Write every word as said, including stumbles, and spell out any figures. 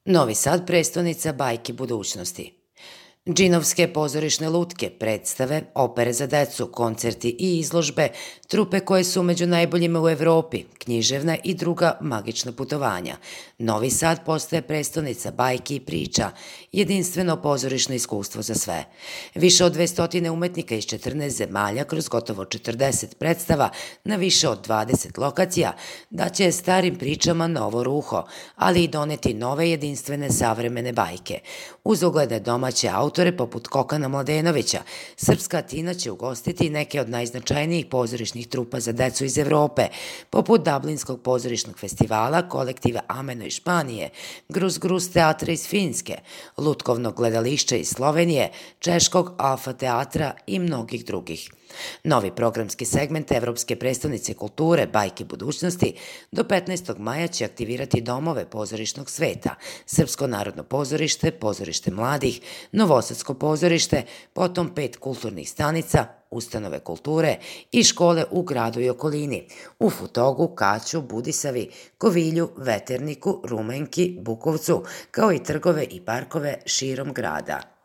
Novi Sad prestonica bajki budućnosti. Džinovske pozorišne lutke, predstave, opere za decu, koncerti i izložbe, trupe koje su među najboljima u Evropi, književna i druga magična putovanja. Novi Sad postaje prestonica bajki i priča, jedinstveno pozorišno iskustvo za sve. Više od dvesta umetnika iz četrnaest zemalja kroz gotovo četrdeset predstava na više od dvadeset lokacija daće starim pričama novo ruho, ali i doneti nove jedinstvene savremene bajke. Uz ugledne domaće autore poput Kokana Mladenovića, Srpska Tina će ugostiti neke od najznačajnijih pozorišnih trupa za decu iz Evrope, poput Dublinskog pozorišnog festivala, kolektiva Ameno iz Španije, Gruz Gruz teatra iz Finske, Lutkovnog gledališća iz Slovenije, Češkog Alfa teatra i mnogih drugih. Novi programski segment Evropske prestonice kulture Bajke budućnosti do petnaestog maja će aktivirati domove pozorišnog sveta, Srpsko narodno pozorište, Pozorište mladih, Novosadsko pozorište, potom pet kulturnih stanica, ustanove kulture i škole u gradu i okolini, u Futogu, Kaću, Budisavi, Kovilju, Veterniku, Rumenki, Bukovcu, kao i trgove i parkove širom grada.